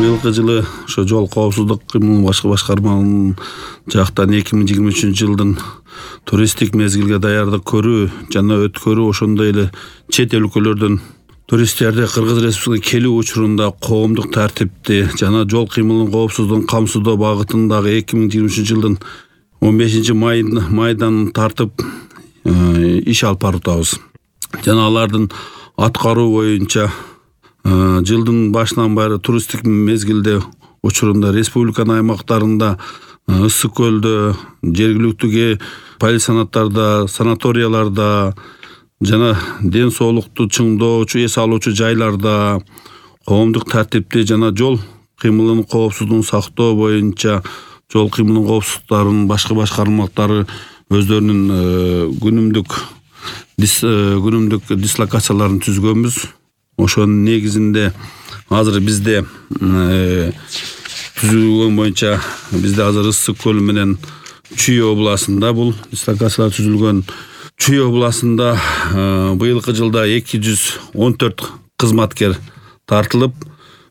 Быйылкы жылы ошо жол коопсуздук кыймылын башкармалыгынын жактан 2023 жылдын туристтик мезгилге даярдык көрүү жана өткөрүү, ошондой эле чет өлкөлөрдөн туристтерди Кыргыз Республикасына келүү учурунда коомдук тартипти жана жол кыймылынын коопсуздугун камсыздоо багытындагы 2023 жылдын 15 майдан тартып иш алып барабыз. Жана алардын аткаруу боюнча жылдын башынан баары туристтик мезгилде учурунда республиканын аймактарында, ысык көлдө, жергиликтүү полисанаттарда, санаторияларда жана ден соолукту чыңдоочу, эс алуучу жайларда коомдук тартипти жана жол кыймылынын коопсуздугун сактоо боюнча жол кыймылынын коопсуздуктарын башка башкармалыктары өздөрүнүн күнүмдүк дислокацияларын түзгөнбүз. Ошонун негизинде азыр бизде түзүлгөн боюнча бизде азыр Ысык көл менен Чүй областында бул дислокациялар түзүлгөн. Чүй областында быйылкы жылда 214 кызматкер тартылып,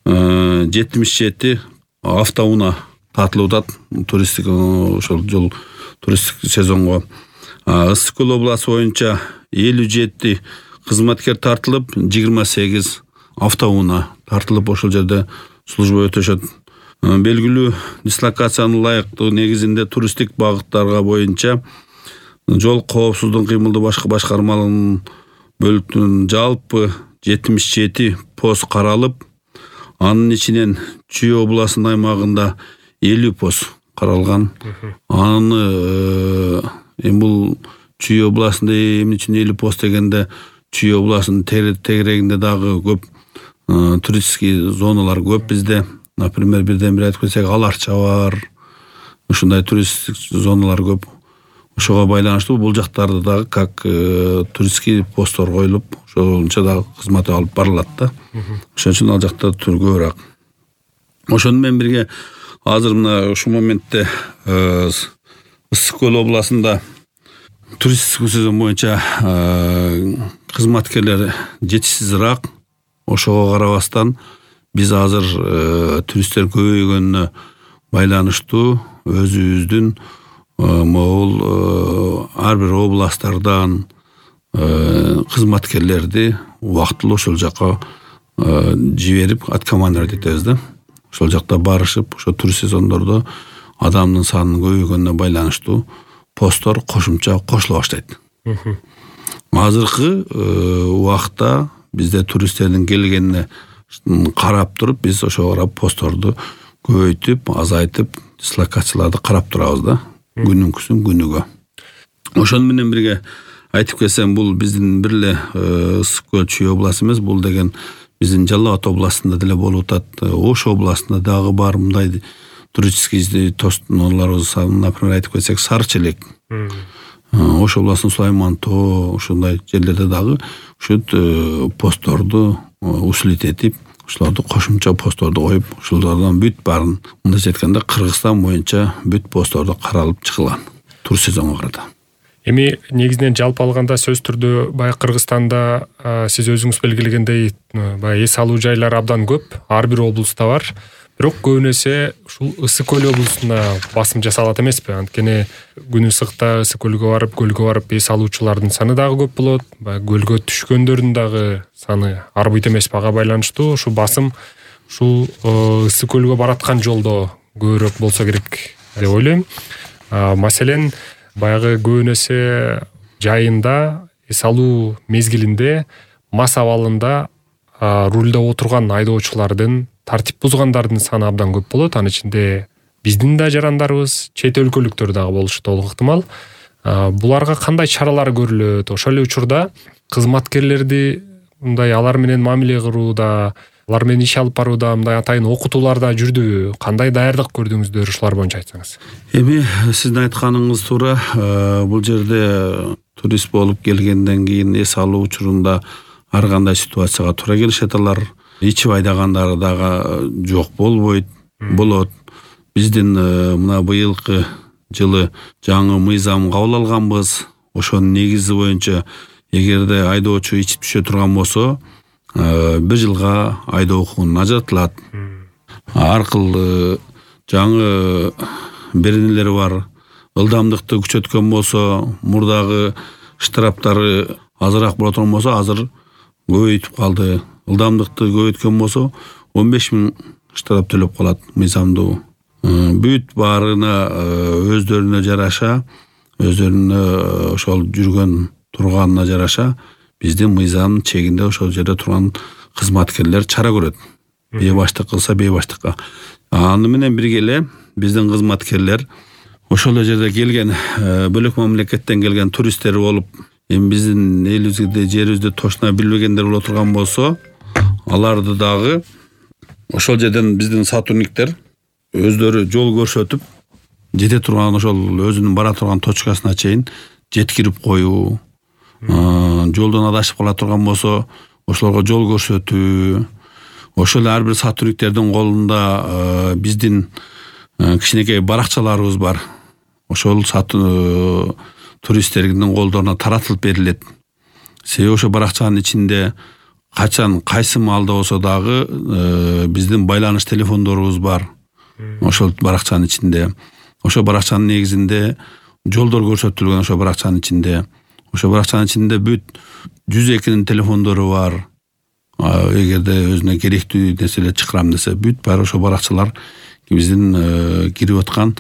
77 автоунаа тартылып атат туристтик ошол жол туристтик сезонго. Ысык көл областы боюнча 57 кызматкер тартылып, 28 автоунаа тартылып ошол жерде служба өтөшөт. Белгилүү дислокациянын ылайыктуу негизинде туристтик багыттарга боюнча жол коопсуздугун кыймылды башка башкармалыгынын бөлүктүнүн жалпы 77 пост каралып, анын ичинен Чүй областынын аймагында 50 пост каралган. Аны бул Чүй областында эмне үчүн 50 пост дегенде, Чүй областынын тегерегинде дагы көп туристский зоналар көп бизде. Например, бирден бир айтып кетсек, Аларча бар. Ушундай туристтик зоналар көп. Ошого байланыштуу бул жактарда дагы как туристский посттор коюлуп, ошончо дагы кызмат алып барылат да. Ошон үчүн ал жакта көбүрөөк. Ошону менен бирге азыр мына ушул моментте Ысык көл областында туристтик сезон боюнча кызматкерлер жетишсизирээк. Ошого карабастан биз азыр туристтер көбөйгөнүнө байланыштуу өзүбүздүн могул ар бир областтардан кызматкерлерди убактылуу ошол жака жиберип, откомандировать этебиз да. Ошол жакта барышып, ошо турист сезондордо адамдын санынын көбөйгөнүнө байланыштуу посттор кошумча кошула баштайт. Азыркы убакта бизде туристтердин келгенине карап туруп, биз ошого карап постторду көбөйтүп, азайтып, дислокацияларды карап турабыз да. Күнүнкүсүн күнүгө. Ошону менен бирге айтып кетсем, бул биздин бир эле Ысык көл Чүй областы эмес, бул деген биздин Жалал Абад областында деле болуп атат. Ош областында дагы бар мындай туристский тостоолорубуз, например, айтып кетсек, Сары Челек. Ош областынын Сулайман тоо, ошондой жерлерде дагы ушул постторду усилить ошолорду кошумча постторду коюп, ошолордон бүт барын, мындайча айтканда, Кыргызстан боюнча бүт постторду каралып чыгылган турист сезонго карата. Эми негизинен жалпы алганда сөз түрдө баягы Кыргызстанда сиз өзүңүз белгилегендей баягы эс алуу жайлар абдан көп, ар бир облуста бар. Бирок көбүнесе ушул Ысык көл облусунда басым жасалат эмеспи? Анткени күн ысыкта Ысык көлгө барып эс алуучулардын саны дагы көп болот. Баягы көлгө түшкөндөрдүн дагы саны арбыйт эмес, ага байланыштуу ушул басым ушул Ысык көлгө бараткан жолдо көбүрөөк болсо керек деп ойлойм. Маселен, баягы көбүнесе жайында эс алуу мезгилинде мас абалында рулда отурган айдоочулардын тартип бузгандардын саны абдан көп болот. Анын ичинде биздин да жарандарыбыз, чет өлкөлүктөр дагы болушу толук ыктымал. Буларга кандай чаралар көрүлөт? Ошол эле учурда кызматкерлерди мындай алар менен мамиле кырууда, алар менен иш алып барууда мындай атайын окутуулар да жүрдүбү? Кандай даярдык көрдүңүздөр, ушулар боюнча айтсаңыз. Эми сиздин айтканыңыз туура. Бул жерде турист болуп келгенден кийин эс алуу учурунда ар кандай ситуацияга туура келишет. Алар ичип айдагандары дагы жок болбойт, болот. Биздин мына быйылкы жылы жаңы мыйзам кабыл алганбыз. Ошонун негизи боюнча эгерде айдоочу ичип түшө турган болсо, 1 жылга айдоо укугунан ажыратылат. ар кыл жаңы беренелери бар. Ылдамдыкты күчөткөн болсо, мурдагы штрафтары азыраак боло турган болсо, азыр көбөйтүп калды. Ылдамдыкты көбөйткөн болсо 15 000 штраф төлөп калат мыйзамдуу. Бүт баарына өздөрүнө жараша, өздөрүнө ошол жүргөн турганына жараша биздин мыйзамдын чегинде ошол жерде турган кызматкерлер чара көрөт. Бейбаштык кылса бейбаштыкка. Аны менен бирге эле биздин кызматкерлер ошол жерде келген бөлөк мамлекеттен келген туристтер болуп, эми биздин элибизде, жерибизди точно билбегендер боло турган болсо, аларды дагы ошол жерден биздин сотрудниктер өздөрү жол көрсөтүп, жете турган ошол өзүнүн бара турган точкасына чейин жеткирип коюу, жолдон адашып кала турган болсо, ошолорго жол көрсөтүү. Ошол ар бир сотрудниктердин колунда биздин кичинекей баракчаларыбыз бар. Ошол туристтердин колдоруна таратылып берилет. Себеби ошо баракчанын ичинде качан кайсы маалда болсо дагы биздин байланыш телефондорубуз бар. Ошол баракчанын ичинде. Ошо баракчанын негизинде жолдор көрсөтүлгөн ошо баракчанын ичинде. Ошо баракчанын ичинде бүт 102-нин телефондору бар. Эгерде өзүнө керектүү нерселер чакырам десе, бүт баары ошо баракчалар биздин кирип аткан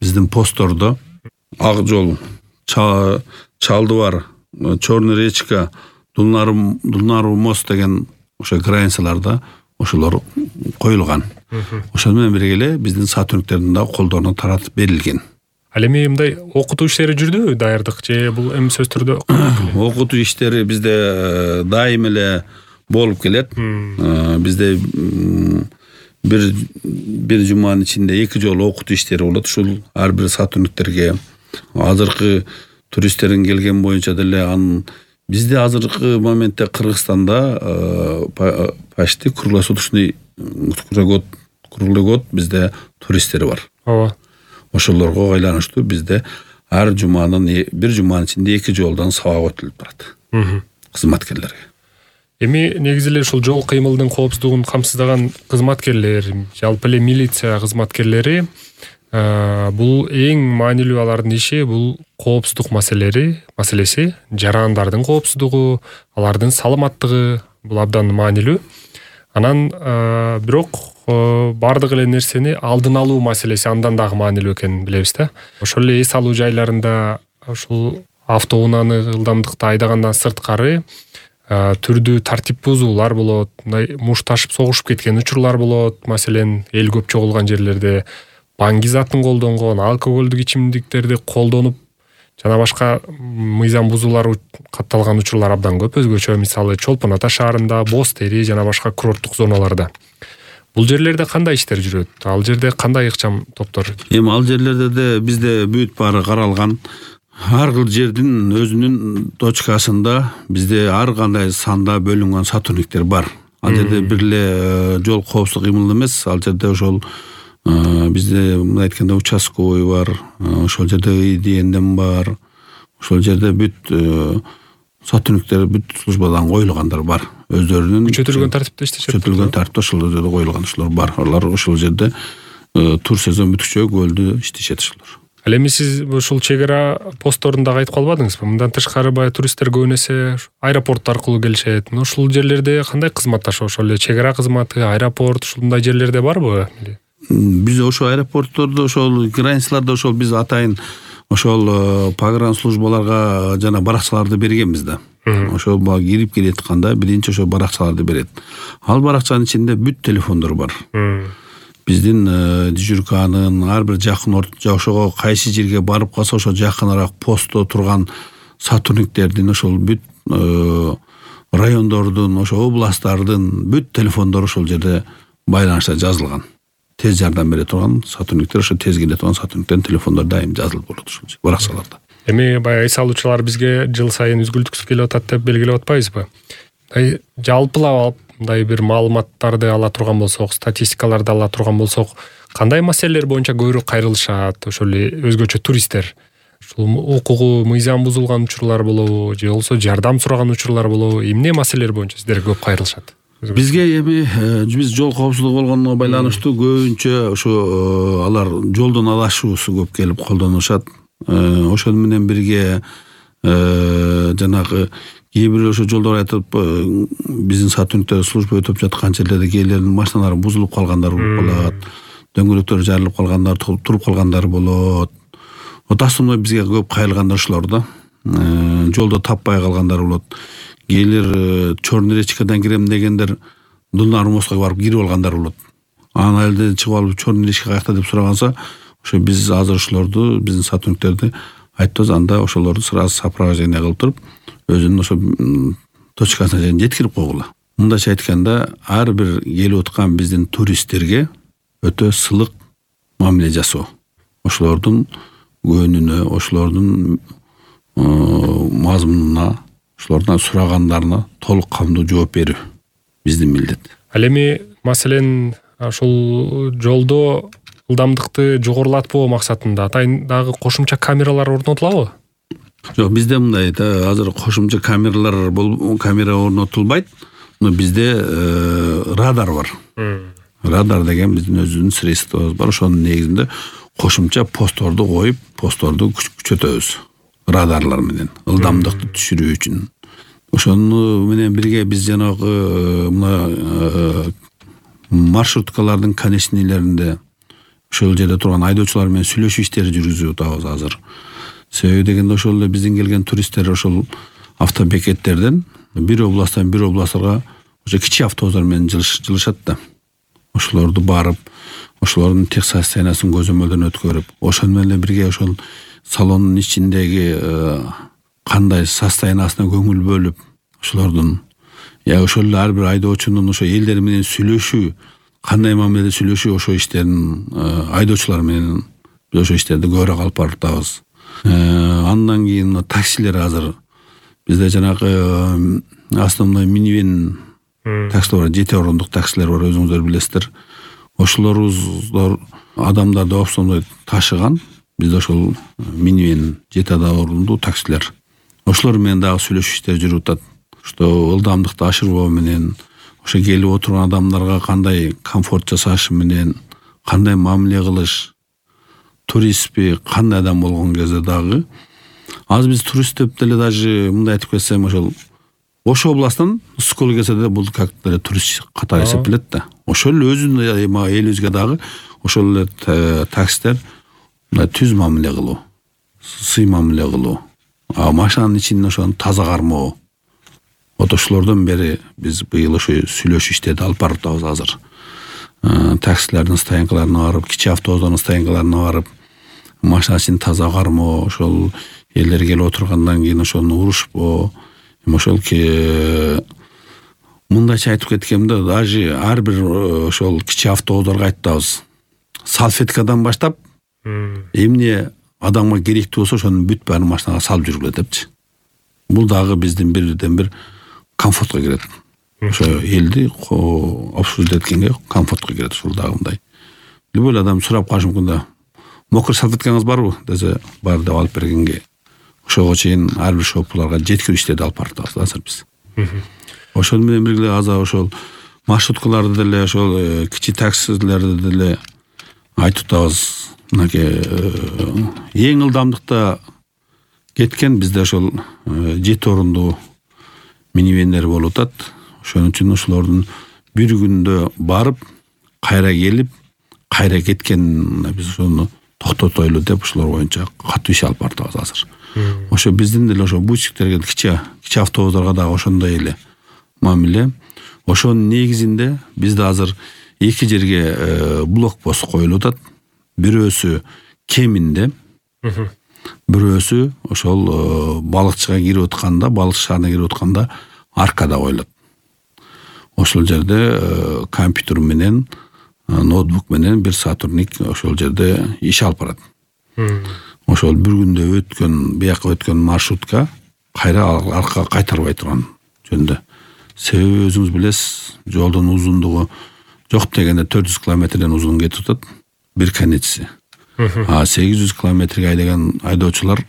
биздин посттордо Ак жол, Чалды бар, Черный речка, Дулнару мост деген ошо границаларда ошолор коюлган. Ошол менен бирге эле биздин сотрудниктердин да колдоруна таратып берилген. Ал эми мындай окутуу иштери жүрдүбү, даярдык же бул эми сөз түрдө? Окутуу иштери бизде дайым эле болуп келет. Бизде бир жуманын ичинде 2 жолу окутуу иштери болот. Ушул ар бир сотрудниктерге азыркы туристтердин келген боюнча деле анын бизде азыркы моментте Кыргызстанда почти круглосуточный круглый год бизде туристтер бар. Ооба. Ошолорго айланыштуу бизде ар бир жуманын ичинде 2 жолдон сабак өтүлүп турат. Кызматкерлерге. Эми негизи эле ушул жол кыймылдын коопсуздугун камсыздаган кызматкерлер, жалпы эле милиция кызматкерлери бул эң маанилүү алардын иши бул коопсуздук маселеси, жарандардын коопсуздугу, алардын саламаттыгы бул абдан маанилүү. Анан бирок бардык эле нерсени алдын алуу маселеси андан дагы маанилүү экенин билебиз да. Ошол эле эс алуу жайларында ушул автоунааны ылдамдыкта айдагандан сырткары түрдүү тартип бузуулар болот, мындай мушташып согушуп кеткен учурлар болот. Маселен, эл көп чогулган жерлерде баңги затын колдонгон, алкоголдук ичимдиктерди колдонуп жана башка мыйзам бузуулар катталган учурлар абдан көп. Өзгөчө мисалы Чолпон Ата шаарында, Боз Тери жана башка курорттук зоналарда. Бул жерлерде кандай иштер жүрөт? Ал жерде кандай ыкчам топтор? Эми ал жерлерде де бизде бүт баары каралган. Ар кыл жердин өзүнүн точкасында бизде ар кандай санда бөлүнгөн сотрудниктер бар. Ал жерде бир эле жол коопсуздук кыймыл эмес, ал жерде ошол бизде мындай айтканда участковый бар, ошол жерде ИДНден бар, ошол жерде бүт сотрудниктер бүт службадан коюлгандар бар. Өздөрүнүн күчөтүлгөн тартипте иштешет. Күчөтүлгөн тартипте ошол жерде коюлган ошолор бар. Алар ошол жерде тур сезон бүткүчө көлдү иштешет ошолор. Ал эми сиз ушул чек ара постторунда айтып калбадыңызбы? Мындан тышкары баягы туристтер көбүн эсе аэропорт аркылуу келишет. Ушул жерлерде кандай кызматташуу? Ошол эле чек ара кызматы, аэропорт ушундай жерлерде барбы? Биз ошол аэропорттордо, ошол границаларда ошол биз атайын ошол погран службаларга жана баракчаларды бергенбиз да. Ошол кирип келетканда биринчи ошол баракчаларды берет. Ал баракчанын ичинде бүт телефондор бар. Биздин дежурканын ар бир жакын ошого кайсы жерге барып калса ошо жакыныраак постто турган сотрудниктердин ошол бүт райондордун, ошо областтардын бүт телефондору ошол жерде байланышта жазылган. Тез жардам бере турган сотрудниктер, ошо тез келе турган сотрудниктердин телефондору дайым жазылып болот ошол баракчаларда. Эми баягы эс алуучулар бизге жыл сайын үзгүлтүксүз келип атат деп белгилеп атпайбызбы? Жалпылап мындай бир маалыматтарды ала турган болсок, статистикаларды ала турган болсок, кандай маселелер боюнча көбүрөөк кайрылышат ошол эле өзгөчө туристтер? Ушул укугу, мыйзам бузулган учурлар болобу, же болбосо жардам сураган учурлар болобу? Эмне маселелер боюнча сиздер көп кайрылышат? Бизге эми биз жол коопсуздугу болгонуна байланыштуу көбүнчө ошо алар жолдон адашуусу көп келип колдонушат. Ошону менен бирге жанагы кээ бир ошо жолдор айтып биздин сотрудниктер служба өтүп жаткан жерлерде кээлердин машиналары бузулуп калгандар болуп калат, дөңгөлөктөрү жарылып калгандар, туруп калгандар болот. Основной бизге көп кайрылгандар ушулар да. Жолдо таппай калгандар болот. Кээлер Черный речкадан кирем дегендер Дулнар мостко барып кирип алгандар болот. Анан элден чыгып алып Черный речка каякта деп сураганса, ошо биз азыр ошолорду, биздин сотрудниктерди айтабыз, анда ошолорду сразу сопровождение кылып туруп, өзүнүн ошо точкасына жеткирип койгула. Мындайча айтканда, ар бир келип аткан биздин туристтерге өтө сылык мамиле жасоо. Ошолордун көңүнүнө, ошолордун мазмунуна, ошолордун сурагандарына толук камдуу жооп берүү биздин милдет. Ал эми маселен ошол жолдо ылдамдыкты жогорулатпоо максатында атайын дагы кошумча камералар орнотулабы? Жок, бизде мындай азыр кошумча камера орнотулбайт. Бизде радар бар. Радар деген биздин өзүбүздүн средствобуз бар. Ошонун негизинде кошумча постторду коюп, постторду күчөтөбүз. Радарлар менен ылдамдыкты түшүрүү үчүн. Ошону менен бирге биз жанагы мына маршруткалардын конечныйлеринде ошол жерде турган айдоочулар менен сүйлөшүү иштери жүргүзүп атабыз азыр. Себеби дегенде ошол эле биздин келген туристтер ошол автобекеттерден бир областтан бир областарга ошо кичи автобустар менен жылышат да. Ошолорду барып, ошолордун техсостояниясын көзөмөлдөн өткөрүп, ошону менен бирге ошол салондун ичиндеги кандай состояниясына көңүл бөлүп, ошолордун ошол эле ар бир айдоочунун ошо элдер менен сүйлөшүү, кандай мамиледе сүйлөшүү, ошо иштерин айдоочулар менен биз ошо иштерди көбүрөөк алып барып атабыз. Андан кийин таксилер азыр бизде жанагы основной минивэн таксилер бар, 7 орундук таксилер бар, өзүңүздөр билесиздер. Ошолорубуз адамдарды основной ташыган бизде ошол минивэн 7 орундуу таксилер. Ошолор менен дагы сүйлөшүү иштери жүрүп атат. Что ылдамдыкты ашырбоо менен, ошо келип отурган адамдарга кандай комфорт жасаш менен, кандай мамиле кылыш, туристпи, кандай адам болгон кезде дагы. Азыр биз турист деп деле даже мындай айтып кетсем, ошо областтан Скол келсе де бул как турист катары эсептелет да. Ошол эле өзүнүн элибизге дагы ошол эле таксилер мындай түз мамиле кылуу, сый мамиле кылуу, машинанын ичинде ошону таза кармоо. Ошолордон бери биз быйыл ошо сүйлөшүү иштерди алып барып атабыз азыр. Таксилердин стоянкаларына барып, кичи автобустардын стоянкаларына барып, машинасын таза кармоо, ошол элдер келип отургандан кийин ошону урушпоо. Мындайча айтып кеткенде, даже ар бир ошол кичи автобустарга айтабыз. Салфеткадан баштап, эмне адамга керектүү болсо ошонун бүт баарын машинага салып жүргүлө депчи. Бул дагы биздин бирден бир комфортко кирет. Ошо элди обслуживать эткенге комфортко кирет ушул дагы мындай. Любой адам сурап калышы мүмкүн да. Мокр салфеткаңыз барбы десе, бар деп алып бергенге ошого чейин ар бир шопларга жеткирүү иштерди алып барып атабыз азыр биз. Ошол менен бирге азыр ошол маршруткаларды деле, ошол кичи таксилерди деле айтып атабыз. Мынакей эң ылдамдыкта кеткен бизде ошол 7 орундуу минивендер болуп атат. Ошон үчүн ошолордун бир күндө барып, кайра келип, кайра кеткен биз ошону токтотойлу деп ошолор боюнча катуу иш алып баратабыз азыр. Ошо биздин деле ошо бутиктерге, кичи автобустарга дагы ошондой эле мамиле. Ошонун негизинде бизде азыр 2 жерге блокпост коюлуп атат. Бирөөсү Кеминде, бирөөсү ошол балыкчыга кирип атканда, балык шаарына кирип атканда аркада коюлат. Ошол жерде компьютер менен, ноутбук менен бир сотрудник ошол жерде иш алып барат. Ошол бир күндө өткөн, бияка өткөн маршрутка кайра аркага кайтарбай турган жөнүндө. Себеби өзүңүз билесиз, жолдун узундугу жок дегенде 400 километрден узун кетип атат. Бир конечси. 800 километрге айдаган айдоочулар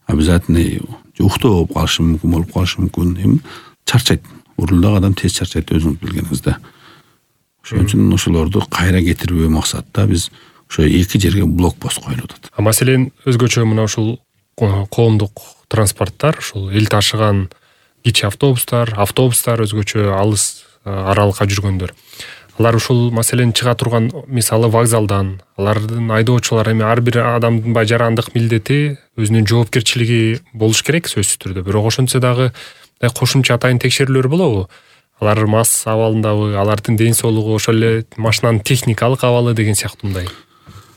обязательно уктоо болуп калышы мүмкүн, чарчайт. уруldагы адам тез чарчайт, өзүңүз билгениңиз да. Ошон үчүн ошолорду кайра кетирүү максатта биз ошо 2 жерге блокпост коюлуп атат. Маселен өзгөчө мына ушул коомдук транспорттор, ушул эл ташыган кичи автобустар, өзгөчө алыс аралыкка жүргөндөр. Алар ушул маселен чыга турган мисалы вокзалдан, алардын айдоочулары эми ар бир адамдын жарандык милдети, өзүнүн жоопкерчилиги болуш керек сөзсүз түрдө. Бирок ошентсе дагы кошумча атайын текшерүүлөр болобу? Алар мас абалындабы, алардын ден соолугу, ошол эле машинанын техникалык абалы деген сыяктуундай.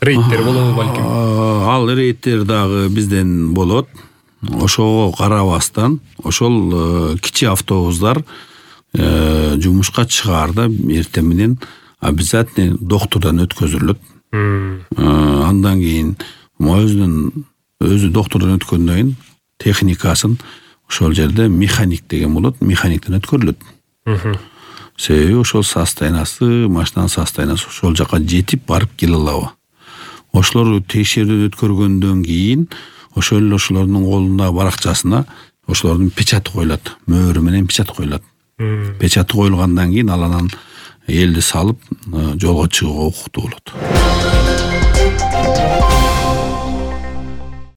Рейдтер болобу балким? Ал рейдтер дагы бизден болот. Ошого карабастан, ошол кичи автобустар жумушка чыгаарда эртең менен обязательно доктурдан өткөзүлөт. Андан кийин өзү доктурдан өткөндөн кийин техникасын ошол жерде механик деген болот, механиктен өткөрүлөт. Себеби ошол состояниясы, машинанын состояниясы ошол жака жетип барып келе алабы. Ошолорду текшерүүдөн өткөргөндөн кийин ошолордун колундагы баракчасына ошолордун печаты коюлат, мөөрү менен печат коюлат. Печаты коюлгандан кийин ал анан элди салып жолго чыгууга укуктуу болот.